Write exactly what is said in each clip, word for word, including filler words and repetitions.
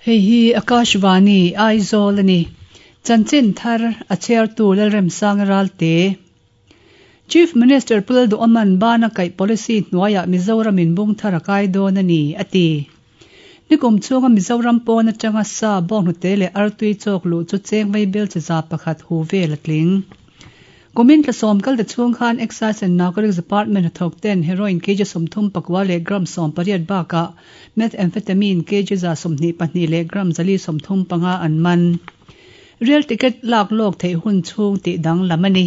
Hei hi Akashvani Aizawl ani. Chanchin thar a chhiartu Lalremsanga Ralte. Chief Minister Pu Lalduhoma'n bana kaih policy hnuaiah Mizoram in bung thar a kai dawn a ni, a ti. Nikum chhunga Mizoram pawn atanga sa bawnghnute leh artui chawk luh chu cheng vaibel chi za pakhat hu vel a tling. Kumin tlasawm kal ta chhung khan Excise and Narcotics Department hnathawk ten heroin kg sawmthum pakua leh gram sawm pariat bakah methamphetamine kg za sawmhnih pahnih leh gram zali sawmthum panga an man. Rail ticket lak lawk theih hun chhung tih danglam a ni.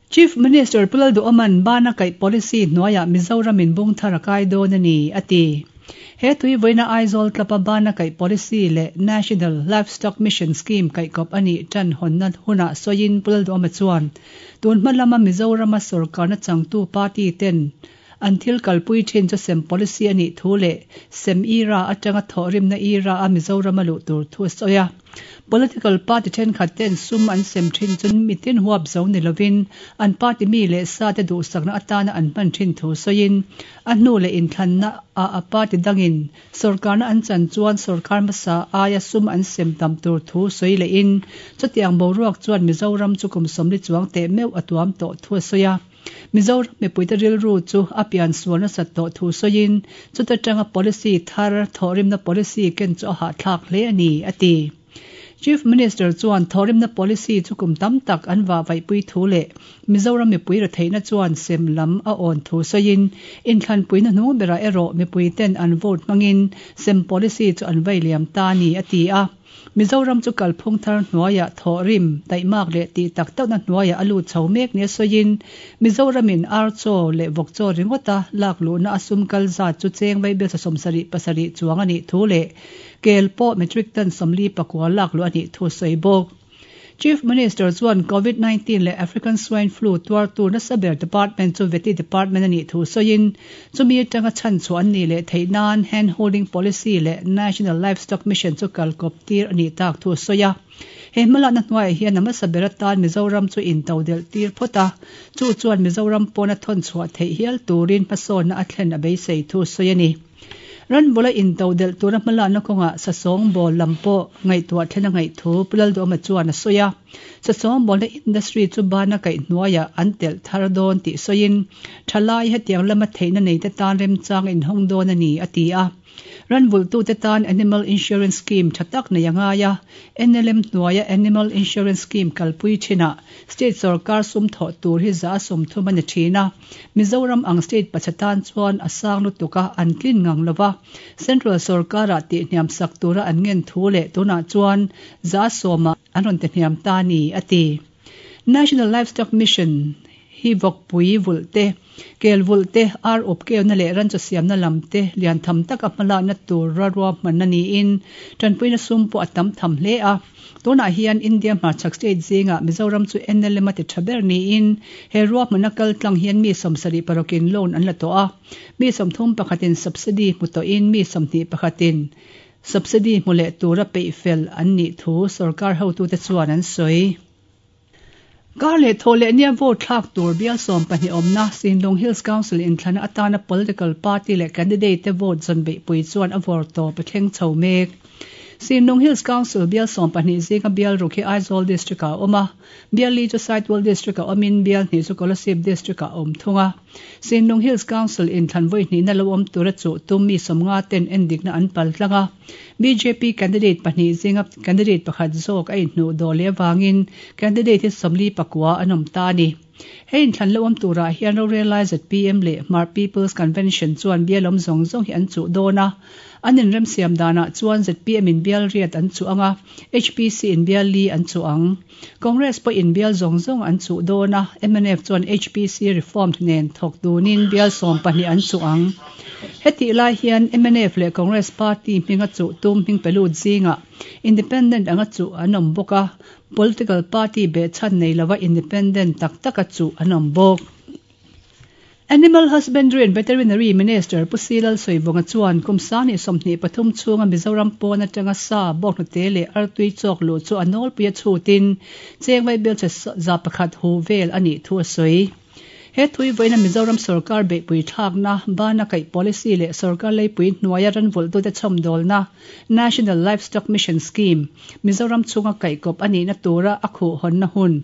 Chief Minister Pu Lalduhoma'n bana kaih policy hnuaiah Mizoram in bung thar a kai dawn a ni, a ti. He tui vawiina Aizawl tlapa bana kaih policy leh National Livestock Mission Scheme kaihkawp a nih tan hawnna hunah sawiin Pu Lalduhoma chuan tun hma lama Mizorama sorkarna changtu party ten an thil kalpui thin chu sem policy a nih thu leh sem era atanga thawhrimna era a Mizorama luh tur thu a sawi a. Political party thenkhat ten sum an sem thin chu mitin huap zo ni lovin an party mi leh sa te duhsakna atana an hman thin thu sawiin a hnu leh inthlanna ah a party dangin sorkarna an chan chuan sorkar hmasa aia sum an sem tam tur thu sawi lehin chutiang boruak chuan Mizoram chu kum sawmli chuang teh meuh a tuam tawh thu a sawi a. Mizoram mipuite rilru chu a pian sual nasat tawh thu sawiin chuta tanga policy thar thawhrimna policy ken chu a hahthlak hle a ni, a ti. Chief Minister chuan thawhrimna policy chu kum tam tak an vah vaihpui thu leh Mizoram mipui retheihna chuan sem lam a awn thu sawiin inthlanpuina hnung berah erawh mipui ten an vote hmangin sem policy chu an vai liam ta a ni, a ti a. Mizoram chu kalphung thar hnuaiah thawhrim, taihmak leh tih tak takna hnuaiah a lut chho mek nia sawiin Mizoramin ar chaw leh vawk chaw ringawta lak luhna a sum kal zat chu cheng vaibel sawm sarih pasarih chuang a nih thu leh kel pawh metric ton sawmli pakua lak luh a nih thu sawi bawk. Chief Minister chuan Covid nineteen leh African Swine Flu tuartu nasa ber department chu Vety Department a nih thu sawiin chumi atanga chhan chhuah an nih leh theih nan Hand Holding Policy leh National Livestock Mission chu kalkawp tir a nih tak thu sawi a. He hmalakna hnuaiah hian a hmasa ber atan Mizoram chu intodelh tir phawt a, chu chuan Mizoram pawna thawn chhuah theih hial turin hmasawnna a thlen a beisei thu sawi a ni. Ranbula intodelh tura hmalakna kawngah sasawng bawl lam pawh ngaihtuah thlen a ngaih thu Pu Lalduhoma chuan a sawi a. Sasawng bawlna industry chu bana kaih hnuaiah an telh thar dawn tih sawiin thalai hetiang lama theihna neite tan remchang inhawng dawn a ni, a ti a. Ranvulhtute tan Animal Insurance Scheme tha tak nei a ngai a, N L M hnuaia Animal Insurance Scheme kalpui thinah state sorkar sum thawh tur hi za a sawm thum a ni thin a. Mizoram ang state pacha tan chuan a sang lutuk a, an tlin ngang lo va. Central sorkarah tihhniam sak tura an ngen thu leh tunah chuan za a sawmah an rawn tihhniam ta a ni, a ti. National Livestock Mission hi vawkpui vulh te, kel vulh te, ar up keuna leh ranchaw siamna lam te lian tham taka hmalakna tur rarua hman a niin tanpuina sum pawh a tam tham hle a. Tunah hian India hmarchhak state zingah Mizoram chu N L M a ti tha ber niin he ruahmanna kal tlang hian mi sawmsarih paruk-in loan an la tawh a. Mi sawmthum pakhatin subsidy hmu tawhin mi sawmhnih pakhatin subsidy hmu leh tura peih fel an nih thu sorkar hotute chuan an sawi. Kar leh thaw leh nia vote thlak tur bial sawm pahnih awmna Sinlung Hills Council inthlana atana political party leh candidate te vote zawn beihpui chuan a vawr tawp a thleng chho mek. Sinlung Hills Council bial sawm pahnih zinga bial ruk hi Aizawl District ah a awm a, bial li chu Saitual District ah awmin bial hnih chu Kolasib District ah a awm thung a. Sinlung Hills Council inthlan vawi hnihna lo awm tura chuh tum mi sawmnga ten endikna an pal tlang a. B J P candidate pahnih zinga candidate pakhat zawk a inhnuh dawh leh avangin candidate hi sawmli pakua an awm ta a ni. Hei inthlan lo awm turah hian rorelai Z P M leh Hmar People's Convention chuan bial awm zawng zawng hi an chuh dawn a. An inremsiam danah chuan Z P M in bial riat an chuh ang a, H P C in bial li an chuh ang. Congress pawh in bial zawng zawng an chuh dawn a, M N F chuan H P C reformed nen thawk dunin bial sawm pahnih an chuh ang. Hetih lai hian M N F leh Congress party hminga chuh tum hming pe lut zingah independent anga chuh an awm bawk a, political party behchhan nei lova independent tak taka chuh an awm bawk. Animal Husbandry and Veterinary Minister Pu Silal Sawivawnga chuan kum sangni sawmhnih pathum chhunga Mizoram pawn atanga sa bawkhnute leh artui chawk luh chu a nawlpui a chhutin cheng vaibel che za pakhat hu vel a nih thu a sawi. He thui voina Mizoram sarkar beipui thakna bana kai policy le sarkar leipui hnuaia ranvulh tute chhawmdawlna National Livestock Mission Scheme Mizoram chunga kaikop ani na tura a khu honna hun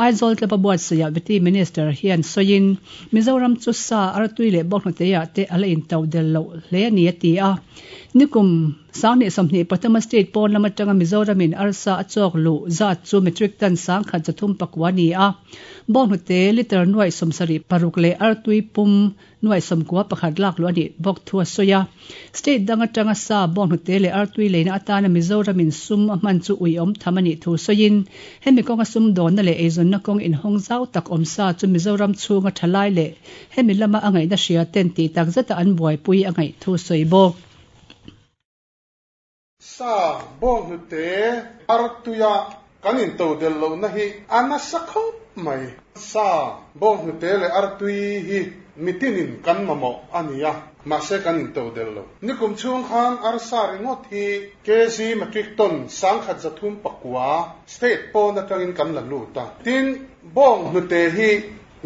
Aizawl tlapa buatsaia Vety Minister hian soin Mizoram chu sa artui le bawnghnute te ala in to del lo hle ni ati a nikum sangni somni pathama state pawn lama tanga Mizoramin arsa achok lu zat chu metric ton sang khat zathum pakwani a bawnghnute liter nuai somsari paruk le artui pum nuai somkua pakhat lak lu ani bawk thua soya state danga tanga sa bawnghnute le artui leina atana Mizoramin sum a hman chu ui om thamani thu soin hemi kawnga sum dawn na le eizawn na kawng in hawng zau tak awm sa chu Mizoram chhunga thalai le hemi lama a ngaihna hria ten ti tak zeta an buaipui a ngaih thu sawi bawk. Sa bawnghnute artuia kan in to del lo na hi ana sakho mai sa bawnghnute le artui hi mitinin kan mamo ania ma se kan in to del lo nikum chung khan arsa ringot hi kg metric ton sangkhat zathum pakwa state pon atangin kan la lu ta tin bawnghnute hi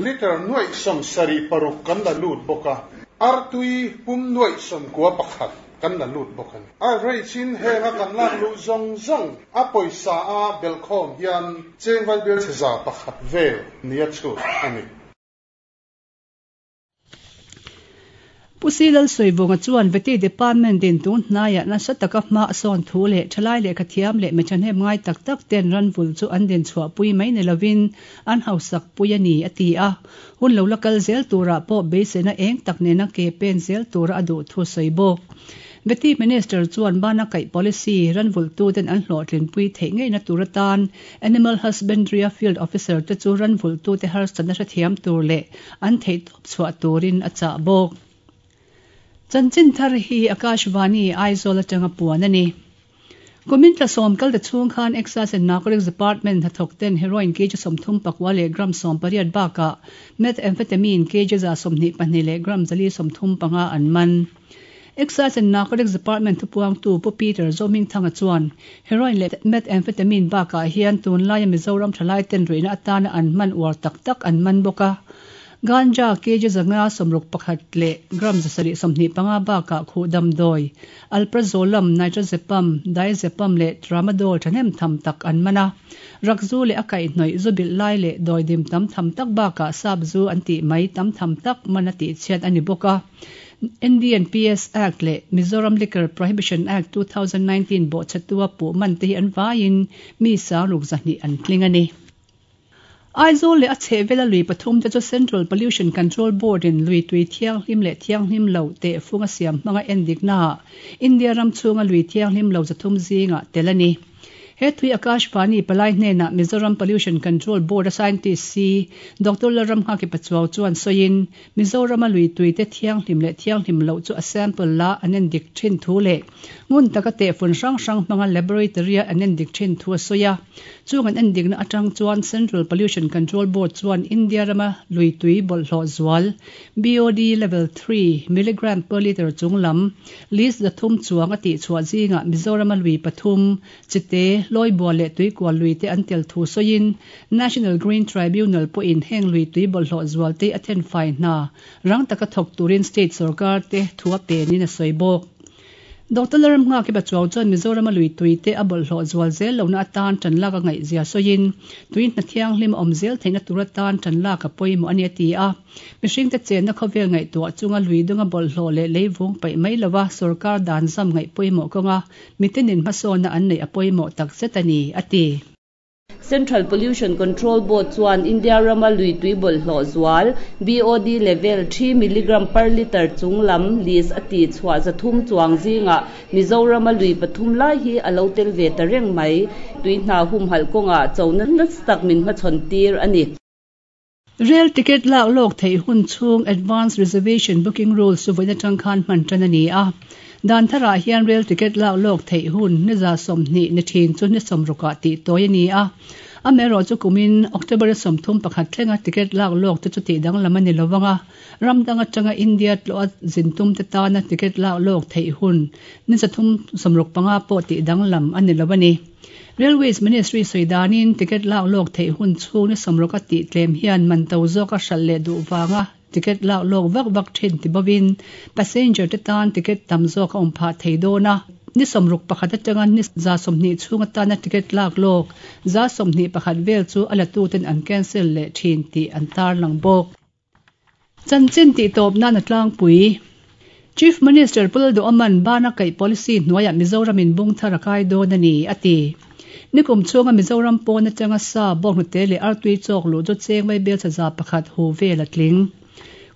liter nuai som sari paruk kan la lut boka artui pum nuai som kwa pakhat kan la lut bokan a rei chin henga kan lak lu zong zong a poisa a belkhom hian chengwal bel cheza pakhat vel nia chu ani. Pusilal soivonga chuan Vety Department din tun hnaiah nasa taka hma sawn thu leh thalai leh khathiam leh mechahnem ngai tak tak ten ranvul chu an din chhuah pui mai ni lovin an hausak pui ani a ti a hun lo lakal zel tura pawh beiseina eng tak nena ke pen zel tura a duh thu sawi bawk. Vety Minister chuan bana kai policy ranvul tu ten an hlawhtlin pui theih ngei na tur atan Animal Husbandry Field Officer te chu ranvul tu te harsatna hrethiam tur leh an theih tawp chhuah turin a chah bawk. Chanchin thar hi Akashvani Aizawl atanga puan ani. Kumin tla sawm kal te chhung khan Excise and Narcotics Department hnathawk ten heroin kg sawmthum pakua leh gram sawm pariat bakah methamphetamine kg za sawmhnih pahnih leh gram zali sawmthum panga an man. Excise and Narcotics Department thupuangtu Pu Peter Zoming Thanga chuan heroin leh methamphetamine bakah hian tunlaia Mizoram thalai ten ruihna atana an man uar tak tak an man bawk a. Ganja kg zanga somruk pakhat le gram zasari somhni panga baka khu damdoi alprazolam nitrazepam diazepam le tramadol thanem tham tak an mana rakzu le akai hnoi zubil lai le doidim tam tham tak baka sabzu anti mai tam tham tak manati chiat ani boka. N D N P S Act le Mizoram Liquor Prohibition Act two thousand nineteen bo chatua pu man te hi an vain mi sa ruk zahni an tlingani. Aizawl le a chhehvela lui pathum te chu Central Pollution Control Board in lui tui thianghlim leh thianghlim lo te funga siam hmanga endik na India ram chhunga lui thianghlim lo zathum zinga tel ani. He thui Akashvani palai hnena Mizoram Pollution Control Board a scientist C Doctor Laram Haki Pachuau chuan soin Mizoram a lui tui te thianghlim leh thianghlim lo chu a sample la an endik thin thu le ngun taka te fun hrang hrang hmanga laboratory an endik thin thu a soya chung an endik na atang chuan Central Pollution Control Board chuan India rama lui tui bawlhhlawh zual B O D level three milligram per liter chunglam list zathum chuang a tih chhuah zinga Mizoram a lui pathum chite loi bua le tui kwa lui te an tel thu soin National Green Tribunal po in heng lui tui bawlhhlawh zual te a then fai hna rang taka thawk turin state sarkar te thua pe ni na sawi bawk. Doctor Laram nga ki bachuaw chuan Mizoram a lui tui te a bawlhhlawh zual zel lo na atan tan lak a ngaih zia sawiin tui hna thianghlim awm zel theihna tur atan tan lak a pawimawh ani a ti a mihring te chenna khawvel ngaihtuah chunga lui dunga bawlhhlawh leh leivung paih mai lova sarkar dan zam ngaih pawimawh kawnga mitinin hmasawnna an neih a pawimawh tak zet ani a ti. Central Pollution Control Board chuan India rama lui tui bawlhhlawh zual B O D level three milligram per liter chunglam list a ti chhuah zathum chuang zinga Mizoram a lui pathum lai hi a lo tel ve ta reng mai tui hna hum hal kawnga chona nasa tak min hmachhawn tir ani. Rail ticket lak lawk theih hun chhung advance reservation booking rules chu vawiin atang khan hman tan ani a. Dan tharah hian rail ticket lak lawk theih hun ni za sawmhnih ni thin chu ni sawmrukah tih tawi ani a. Amero chu kumin October somthum pakhat thlenga ticket lak lok te chu ti dang lamani lowanga ramdanga tanga India tlo zintum te ta na ticket lak lok thei hun ni sathum somruk panga po ti dang lam ani lowani. Railways Ministry soidanin ticket lak lok thei hun chu ni somroka ti tlem hian man to zoka hral le du wanga ticket lak lok vak vak thin ti bawin passenger te tan ticket tam zoka om pha thei do na ni somruk pakhat atanga ni za somni chunga ta na ticket lak lok za somni pakhat vel chu ala tu ten an cancel le thin ti an tar lang bok. Chanchin ti top na na tlang pui. Chief Minister Puldo Aman bana kai policy hnuaia Mizoramin bung tharakai do na ni ati. Nikum chunga Mizoram pawna tanga sa bawng te le artui chok lu jo cheng mai bel chaza pakhat hu vel atling.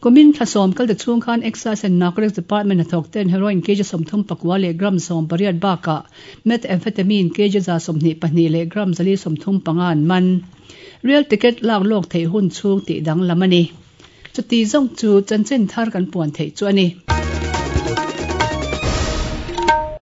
Kumin thlasom kal de chung khan Excise and Narcotics Department a thok ten heroin kg somthum pakwa le gram som pariat baka methamphetamine kg za somni pahnih le gram zali somthum pangan man. Real ticket lak lok thei hun chung ti dang lamani. Chuti zong chu chanchin thar kan puan thei chu ani.